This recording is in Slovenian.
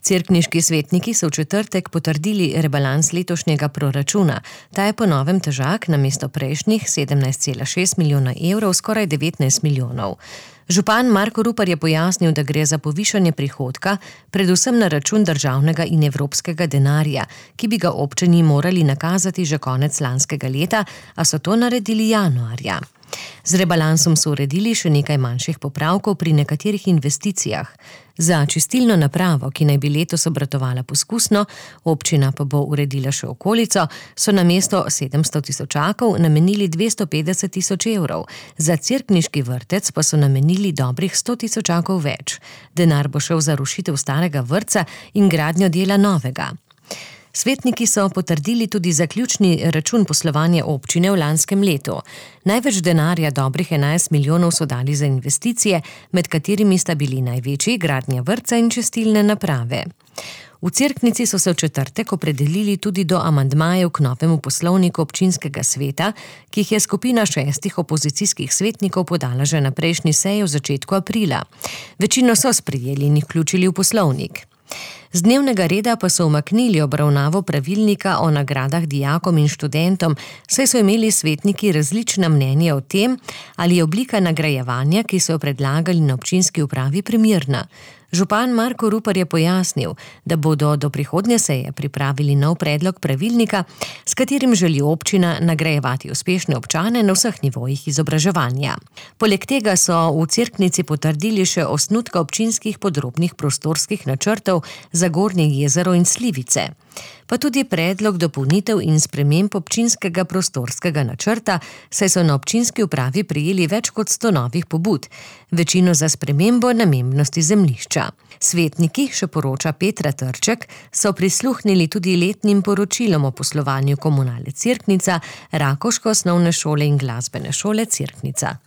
Cerkniški svetniki so v četrtek potrdili rebalans letošnjega proračuna. Ta je po novem težak namesto prejšnjih 17,6 milijona evrov, skoraj 19 milijonov. Župan Marko Rupar je pojasnil, da gre za povišanje prihodka, predvsem na račun državnega in evropskega denarja, ki bi ga občini morali nakazati že konec lanskega leta, a so to naredili januarja. Z rebalansom so uredili še nekaj manjših popravkov pri nekaterih investicijah. Za čistilno napravo, ki naj bi letos obratovala poskusno, občina pa bo uredila še okolico, so namesto 700 tisočakov namenili 250 tisoč evrov. Za cerkniški vrtec pa so namenili dobrih 100 tisočakov več. Denar bo šel za rušitev starega vrtca in gradnjo dela novega. Svetniki so potrdili tudi zaključni račun poslovanja občine v lanskem letu. Največ denarja, dobrih 11 milijonov, so dali za investicije, med katerimi sta bili največji gradnja vrtca in čistilne naprave. V Cerknici so se v četrtek opredelili tudi do amandmajev k novemu poslovniku občinskega sveta, ki jih je skupina 6 opozicijskih svetnikov podala že na prejšnji seji v začetku aprila. Večino so sprejeli in jih vključili v poslovnik. Z dnevnega reda pa so umaknili obravnavo pravilnika o nagradah dijakom in študentom, saj so imeli svetniki različna mnenja o tem, ali je oblika nagrajevanja, ki so jo predlagali na občinski upravi, primerna. Župan Marko Rupar je pojasnil, da bodo do prihodnje seje pripravili nov predlog pravilnika, s katerim želi občina nagrajevati uspešne občane na vseh nivojih izobraževanja. Poleg tega so v Cerknici potrdili še osnutka občinskih podrobnih prostorskih načrtov za Gornje jezero in Slivice, pa tudi predlog dopolnitev in sprememb občinskega prostorskega načrta, saj so na občinski upravi prejeli več kot 100 novih pobud, večino za spremembo namembnosti zemljišča. Svetniki, še poroča Petra Trček, so prisluhnili tudi letnim poročilom o poslovanju komunale Cerknica, Rakovške osnovne šole in glasbene šole Cerknica.